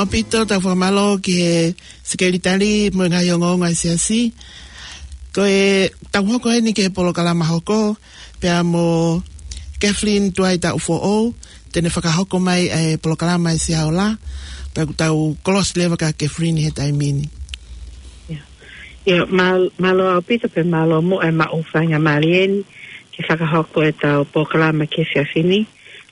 ʻOpito, tau fakamālō ki he sekelitali mo e ngaahi ongoongo ʻa e siasi. Ko e tau hoko heni ki he polokalama hoko, pea mo Kathleen Tuaita Ufoʻou, te ne fakahoko mai e polokalama ʻa e Siaola, pea ʻoku tau kolosi leva kia Kathleen he taimi ni. Ia, māl-, mālō ʻaupito pea mālō muʻa e maʻu faingamālie ni ke fakahoko e tau polokalama ki he efiafi ni.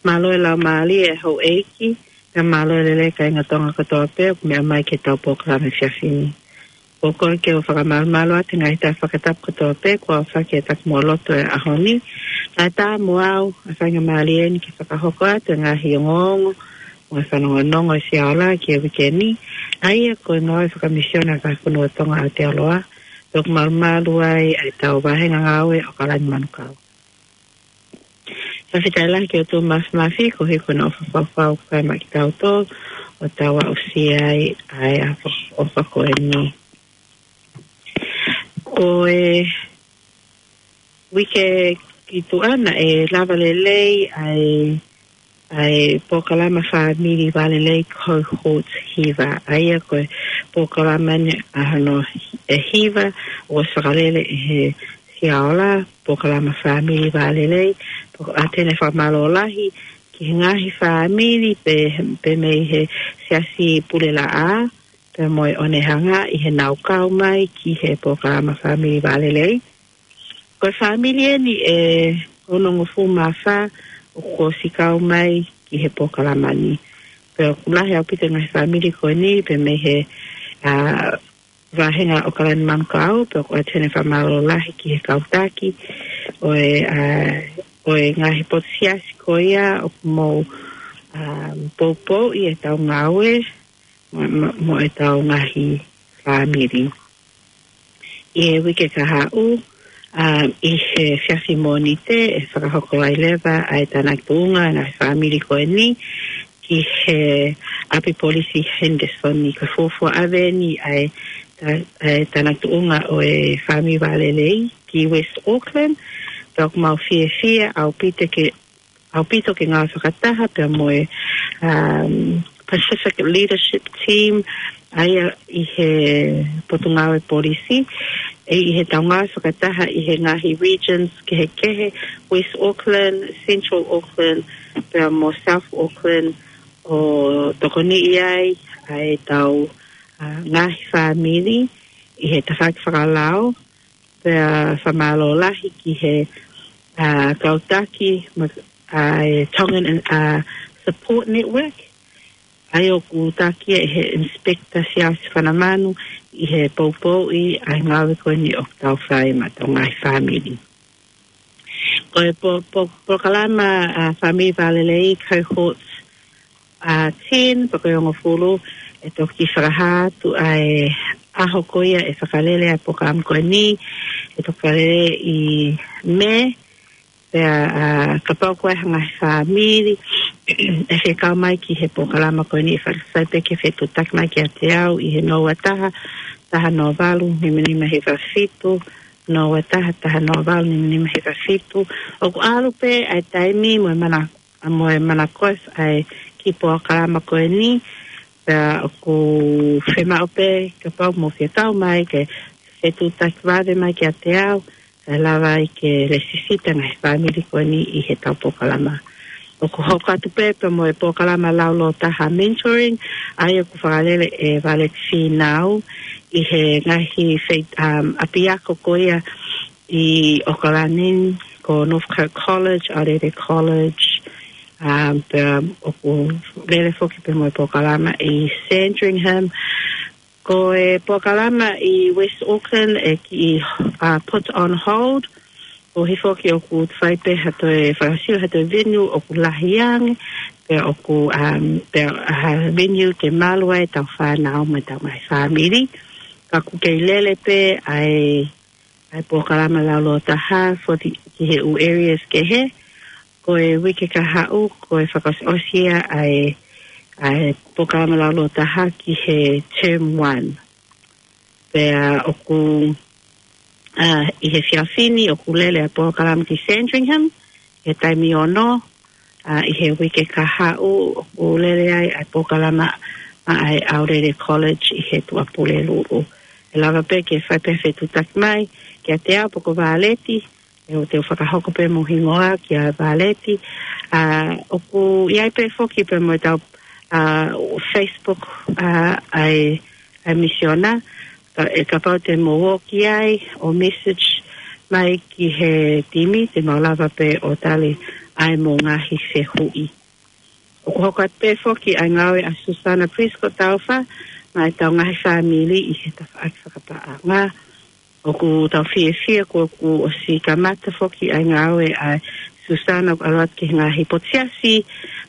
Mālō e laumālie e houʻeiki, pea mālō e lelei kāinga Tonga kotoa pē ʻoku meʻa mai ki he tau polokalama he efiafi ni. ʻOku ou kole ke u fakamālō atu he ngaahi taha fakatapu kotoa pē kuo aofaki e takimuʻa lotu he ʻaho ni. Kae ʻatā mo au e faingamālie ni ke fakahoko atu e ngaahi ongoongo mo e fanongonongo ʻa e Siaola ki he uike ni, ʻa ia ko e ngāue fakamisiona ʻa e Fonua Tonga ʻi Aotearoa, pea ʻoku malumalu ai ʻa e tau vāhenga ngāue ʻo ʻAokalani Manukau. Fakafetaʻi lahi ki he ʻOtua Māfimafi koeʻuhi ko hono ʻofa faufau ʻoku fai maʻa kitautolu ʻo tau aʻusia ai ʻa e ʻofa, ʻofa ko eni. Ko e uike ki tuʻa naʻe lava lelei ʻa e, ʻa e polokalama fāmili vālelei Cohort Hiva. ʻA ia ko e polokalama ni ʻa hono ʻe hiva ʻoku fakalele ʻe he Siaola, polokalama fāmili vālelei, pea ʻoku ʻoatu ʻeni e fakamālō lahi ki he ngaahi fāmili pē, pē mei he Siasi Pulelaʻā, pea mo e ʻOnehanga ʻi heʻenau kau mai ki he polokalama fāmili vālelei. Ko e fāmili eni ʻe onongofulu mā fā ʻoku ʻosi kau mai ki he polokalama ni. Pea ʻoku lahi ʻaupito e ngaahi fāmili ko eni pē mei he, ā, vāhenga ʻAokalani Manukau, pea ʻoku ʻoatu ʻeni e fakamālō lahi ki he kau taki ʻo e, ā, ʻo e ngaahi potu siasi ko ia ʻoku mou, ā, poupouʻi e tau ngāue mo, mo, mo e tau ngaahi fāmili. ʻI he uike kahaʻu, ā, ʻi he efiafi Mōnite, ʻe fakahoko ai leva ʻa e tānaki tuʻunga ʻa e ngaahi fāmili ko eni ki he ʻapi polisi Henderson, ʻi he fuofua ʻave eni ʻa e tā-, ʻa e tānaki tuʻunga ʻo e fāmili vālelei ki West Auckland. Pea ʻoku mau fiefia ʻaupito ke ʻaupito ke ngāue fakataha pea mo e, um, Pacific Leadership Team, ʻa ia ʻi he Potungāue Polisi, ʻe ʻi he tau ngāue fakataha ʻi he ngaahi regions kehekehe, West Auckland, Central Auckland, pea mo South Auckland, ʻo tokoniʻi ai ʻa e tau, uh, ngaahi fāmili ʻi he tafaʻaki fakalao, pea fakamālō lahi ki he, ā, kau taki, ma-, ā, e Tongan, ā, Support Network, ʻa ia ʻoku taki ʻe he Inspector Siaosi Fanamanu ʻi he poupouʻi ʻa e ngāue ko eni ʻoku tau fai maʻa e tau ngaahi fāmili. Ko e po-, po-, polokalama, ā, fāmili vālelei Cohort, ā, ten, pe ko e hongofulu, ʻe toki fakahā atu ʻa e ʻaho ko ia ʻe fakalele ai e polokalama ko eni, ʻe toki fakalele ʻi Mē, pea, ā, kapau ko e hā e ngaahi fāmili ʻe fie kau mai ki he polokalama ko eni, ʻe fai pē ke fetuʻutaki mai kiate au ʻi he noa ua taha, taha noa valu, nima nima hiva fitu, noa ua taha, taha noa valu, nima nima hiva fitu. ʻOku ʻalu pē ʻa e taimi mo e mana-, ʻa mo e manakoa ʻa e kiʻi polokalama ko eni, pea ʻoku fiemaʻu pē kapau ʻoku mou fie kau mai ke fetuʻutaki vave mai kiate au, kae lava ai ke lēsisita e ngaahi fāmili ko eni ʻi he tau polokalama. ʻOku hoko atu pē pea mo e polokalama laulōtaha mentoring, ʻa ia ʻoku fakalele ʻe Valeti Fīnau ʻi he ngaahi fei-, um, ʻapiako ko ia ʻi ʻAokalani, ko Northcote College, Arere College, um, pea ʻoku lele foki pē mo e polokalama ʻi Sandringham. Ko e polokalama ʻi West Auckland ʻe kiʻi, uh, put on hold, koeʻuhi foki ʻoku fai pē ha toe fakasio ha toe venue ʻoku lahi ange, pea ʻoku, um, pea ha venue ke malu ai e tau fānau mo e tau ngaahi fāmili. Ka ʻoku kei lele pē ʻa e ʻa e polokalama laulōtaha for the, ki he ʻū areas kehe. Ko e uike kahaʻu, ko e fakaʻosiʻosi ia ʻa e, ʻa e polokalama laulōtaha ki he term one. Pea ʻoku, ā, ʻi he efiafi ni ʻoku lele ʻa e polokalama ki Sandringham, he taimi ono, ā, ʻi he uike kahaʻu ʻoku lele ai ʻa e polokalama maʻa e ʻAulele College ʻi he Tuʻapulelulu. ʻE lava pē ke fai pē fetuʻutaki mai kiate au pe ko Vāleti, ʻe u te u fakahoko pē mo e hingoa kia Vāleti. ʻA, ʻoku ʻi ai pē foki pē mo ʻetau, ʻa, Facebook, ʻa, ʻa e, ʻa e misiona. Ka, ʻe kapau te mou ō ki ai ʻo message mai ki he timi, te mau lava pē ʻo tali ʻa e mou ngaahi fehuʻi. ʻOku hoko atu pē foki ʻa e ngāue ʻa Susana Prescott Taufa maʻa ʻetau ngaahi fāmili ʻi he tafaʻaki fakapaʻanga. ʻOku tau fiefia kuo, kuo ʻosi kamata foki ʻa e ngāue ʻa Susana ʻoku ʻalu atu ki he ngaahi potu siasi,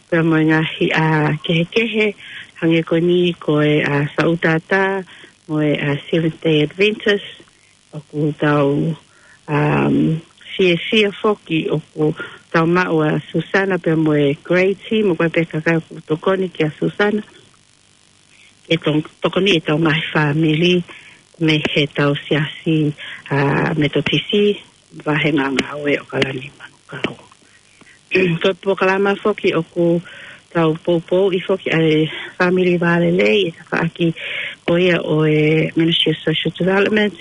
pea mo e ngaahi, ʻa, kehekehe, hangē ko eni ko e, ʻa, Saʻutātā, mo e, ʻa, Seventh Day Adventist. ʻOku tau, um, fiefia foki ʻoku tau maʻu ʻa Susana pea mo e great team, ʻoku ʻi ai pē kakai ʻoku tokoni kia Susana. Ke to-, tokoni ʻetau ngaahi fāmili mei heʻetau siasi, ʻa, Metotisi, vahenga ngāue ʻo Kalanimanukau. Ko e polokalama foki ʻoku tau poupouʻi foki ʻa e Family Vālelei ʻi he tafaʻaki ko ia ʻo e Ministry of Social Development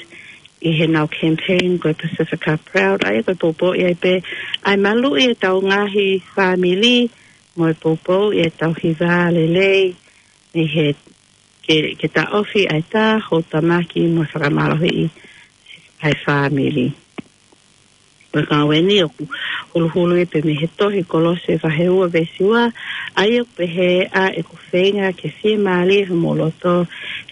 ʻi heʻenau campaign ko e Pasifika Proud. ʻA ia ko e poupouʻi ai pē ʻa e maluʻi ʻetau ngaahi fāmili mo e poupouʻi ʻetau hiva lelei ʻi he ke, ke taʻofi ʻa e tā houtamaki mo e fakamālohiʻi ʻa e fāmili. Ko e ngāue ni ʻoku huluhulu ia pē mei he tohi Kolose vahe ua veesi ua, ʻa ia ʻoku pehē: ʻA ʻeku feinga ke fiemālie homou loto,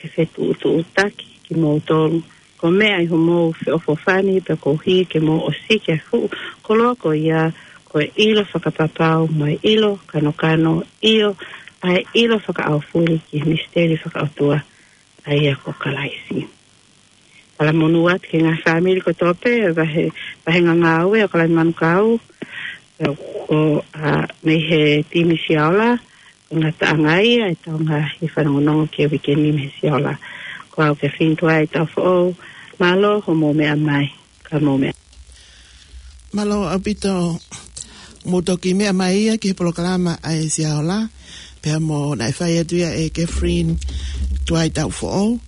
ke fetuʻutuʻutaki kimoutolu, ko e meʻa ʻi homou feʻofoʻofani, pea koeʻuhi ke mou ʻosiki ʻa e fuʻu koloa ko ia, ko e ʻilo fakapapau mo e ʻilo kanokano, ʻio, ʻa e ʻilo fakaʻaufuli ki he misiteli fakaʻotua, ʻa ia ko Kalaisi. Talamonū atu ki he ngaahi fāmili kotoa pē, vahe, vahenga ngāue ʻo Kalanimanukau, ko, ʻa, mei he timi Sia Ola, ko e ngataʻanga ia ʻetau ngaahi fanongonongo ki he uike ni mei he Sia Ola. Ko au Kathleen Tuaitaufoʻou, mālō hoʻomou meʻa mai, ka mou meʻa. Mālō ʻaupito, mou toki meʻa mai ia ki he polokalama ʻa e Sia Ola, pea mo naʻe fai atu ia ʻe Kathleen Tuaitaufoʻou.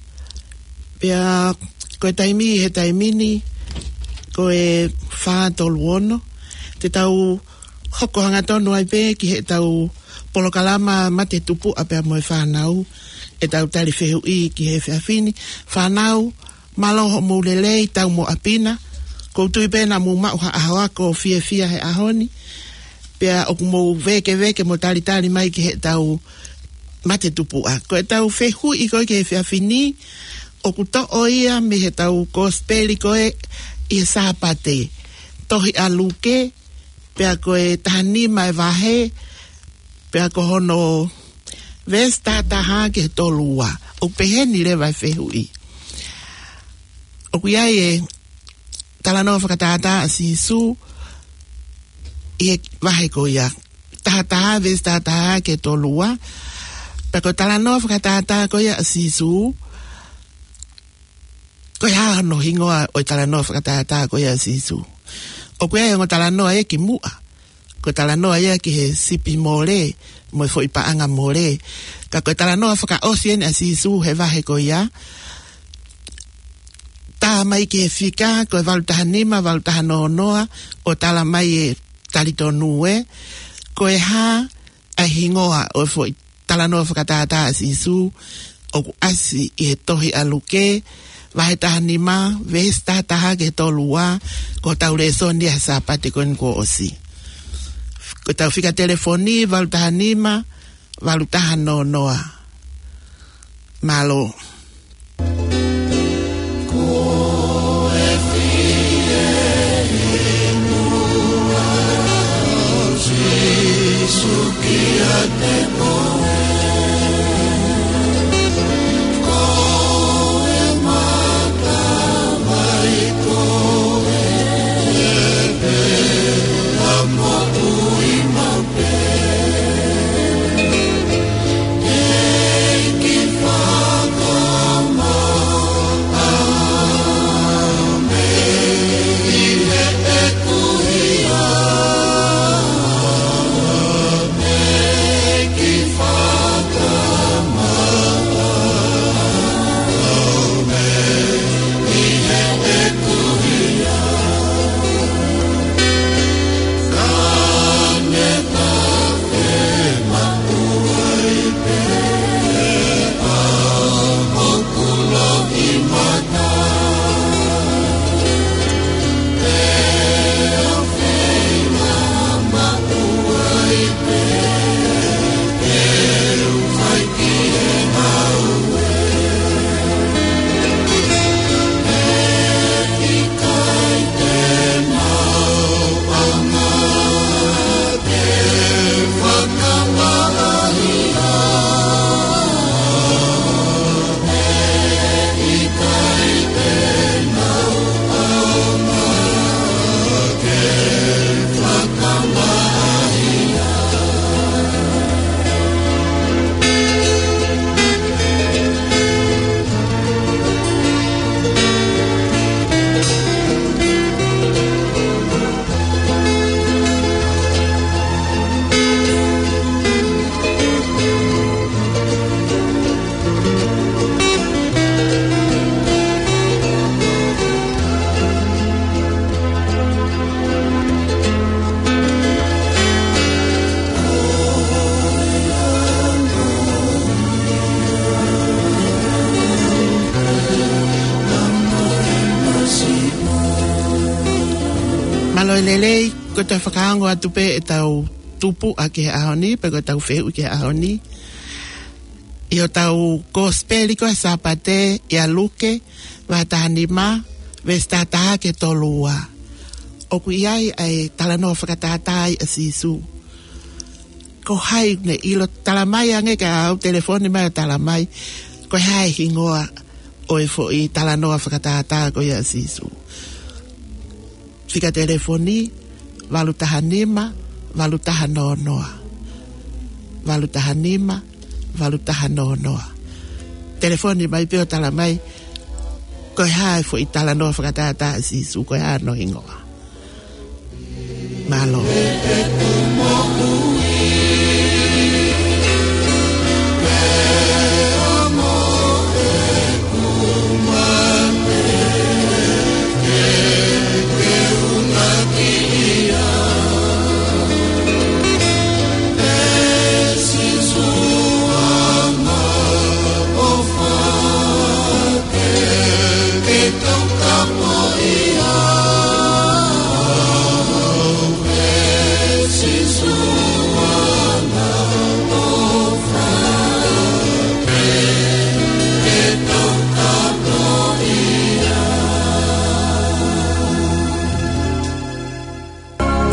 Pea ko e taimi, he taimi ni, ko e fā tolu ono, te tau hoko hangatonu ai pē ki heʻetau polokalama Mate Tupuʻa pea mo e Fānau, ʻetau tali fehuʻi ki he efiafi ni. Fānau, mālō hoʻomou lelei, tau mo ʻapi na. ʻOku ou tui pē naʻa mou maʻu ha ʻaho ako fiefia he ʻaho ni. Pea ʻoku mou vēkeveke mo talitali mai ki heʻetau Mate Tupuʻa. Ko ʻetau fehuʻi ko ē ki he efiafi ni, ʻoku toʻo ia mei heʻetau kosipeli ko ē ʻi he Sāpate. Tohi ʻa Luke, pea ko e taha nima e vahe, pea ko hono veesi taha taha ki he tolu ua. ʻOku pehē ni leva e fehuʻi. ʻOku ʻi ai e talanoa fakatātā ʻa Sīsū ʻi he vahe ko ia. Taha taha, veesi taha taha ki he tolu ua. Pea ko e talanoa fakatātā ko ia ʻa Sīsū, ko e hā hono hingoa ʻo e talanoa fakatātā ko ia ʻa Sīsū? ʻOku ʻi ai e ongo talanoa ia kimuʻa. Ko e talanoa ia ki he sipi mole, mo e foʻi paʻanga mole. Ka ko e talanoa fakaʻosi eni ʻa Sīsū he vahe ko ia. Tā mai ki he fika, ko e valu taha nima, valu taha noa noa, ʻo tala mai e talitonu ē. Ko e hā ʻa e hingoa ʻo e foʻi talanoa fakatātā ʻa Sīsū, ʻoku ʻasi ʻi he tohi ʻa Luke, vahe taha nima, veesi taha taha ki he tolu ua, ko hotau lēsoni ʻa e Sāpate ko eni kuo ʻosi. Ko ʻetau fika telefoni, valu taha nima, valu taha noa noa. Mālō. Mālō e lelei, ko ʻetau fakaongo atu pē ʻetau tupuʻa ki he ʻaho ni, pe ko ʻetau fehuʻi ki he ʻaho ni. ʻI hotau kosipeli ko e Sāpate, ʻia Luke, vahe taha nima, veesi taha taha ki he tolu ua. ʻOku ʻi ai ʻa e talanoa fakatātā ʻa Sīsū. Ko hai ne ʻilo, talamai ange kia au, telefoni mai ʻo talamai ko e hā e hingoa ʻo e foʻi talanoa fakatātā ko ia ʻa Sīsū. Fika telefoni, valu taha nima, valu taha noa noa. Valu taha nima, valu taha noa noa. Telefoni mai pē ʻo talamai ko e hā e foʻi talanoa fakatātā ʻa Sīsū, ko e hā hono hingoa. Mālō.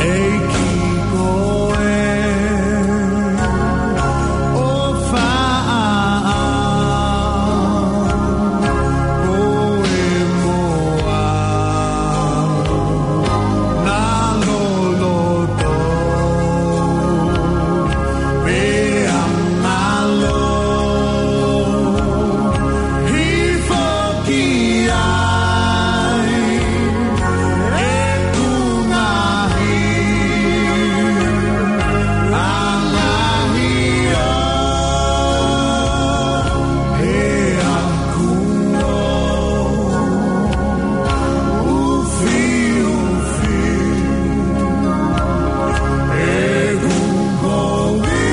ʻEiki ko e ʻofa ʻaʻau, ko e moa na loloto, pea ngalo hifo ki ai ʻeku ngaahi ʻahiʻahi, ʻa e kuo ufiufi ʻeku kovi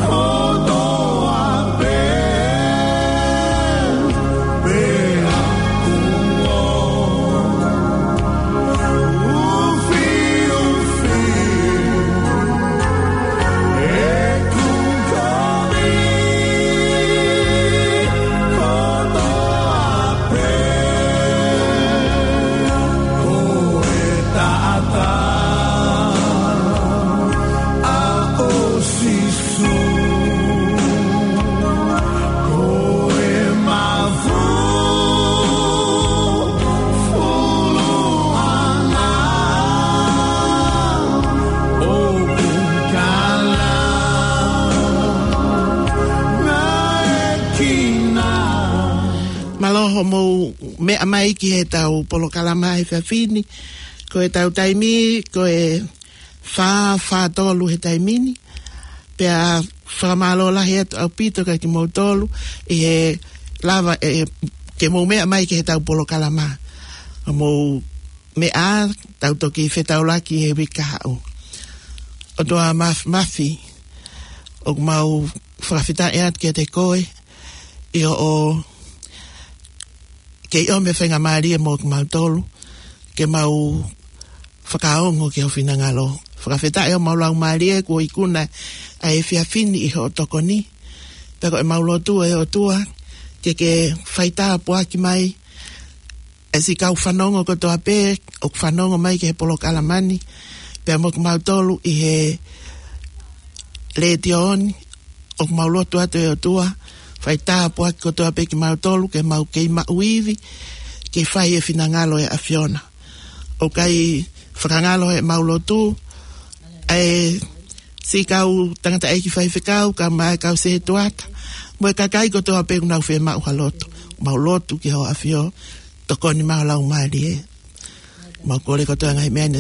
kotoa pē, pea kuo ufiufi ʻeku kovi kotoa pē. Ko e taʻataʻa ʻo Sīsū, ko e mafufuluʻanga ʻoku kala naʻekina. Mālō hoʻomou meʻa mai ki heʻetau polokalama he efiafi ni. Ko ʻetau taimi, ko e fā, fā tolu he taimi ni. Pea fakamālō lahi atu ʻaupito kia kimoutolu ʻi he lava, ē, ke mou meʻa mai ki heʻetau polokalama. Mou meʻa, tau toki fetaulaki he uike kahaʻu. ʻOtua Māf-, Māfimafi, ʻoku mau fakafetaʻi atu kiate koe, ʻi hoʻo kei ʻomi e faingamālie mo kimautolu, ke mau fakaongo ki ho finangalo. Fakafetaʻi homau laumālie kuo ikuna ʻa e efiafi ni ʻi hoʻo tokoni. Pea ko ʻemau lotu ʻe ʻOtua, ke ke faitāpuaki mai ʻa e siʻi kau fanongo kotoa pē ʻoku fanongo mai ki he polokalama ni, pea mo kimautolu ʻi he letiō ni, ʻoku mau lotu atu ʻe ʻOtua, faitāpuaki kotoa pē kimautolu, ke mau kei maʻu ivi ke fai e finangalo ʻo e ʻAfiona. ʻOku ʻikai fakangalo heʻemau lotu ʻa e siʻi kau tangataʻeiki faifekau, kae ʻumaʻā e kau sētuata, mo e kakai kotoa pē ʻoku nau fiemaʻu ha lotu. Mau lotu ki ho ʻAfio, tokoni mai ho laumālie. Mau kole kotoa e ngaahi meʻa ni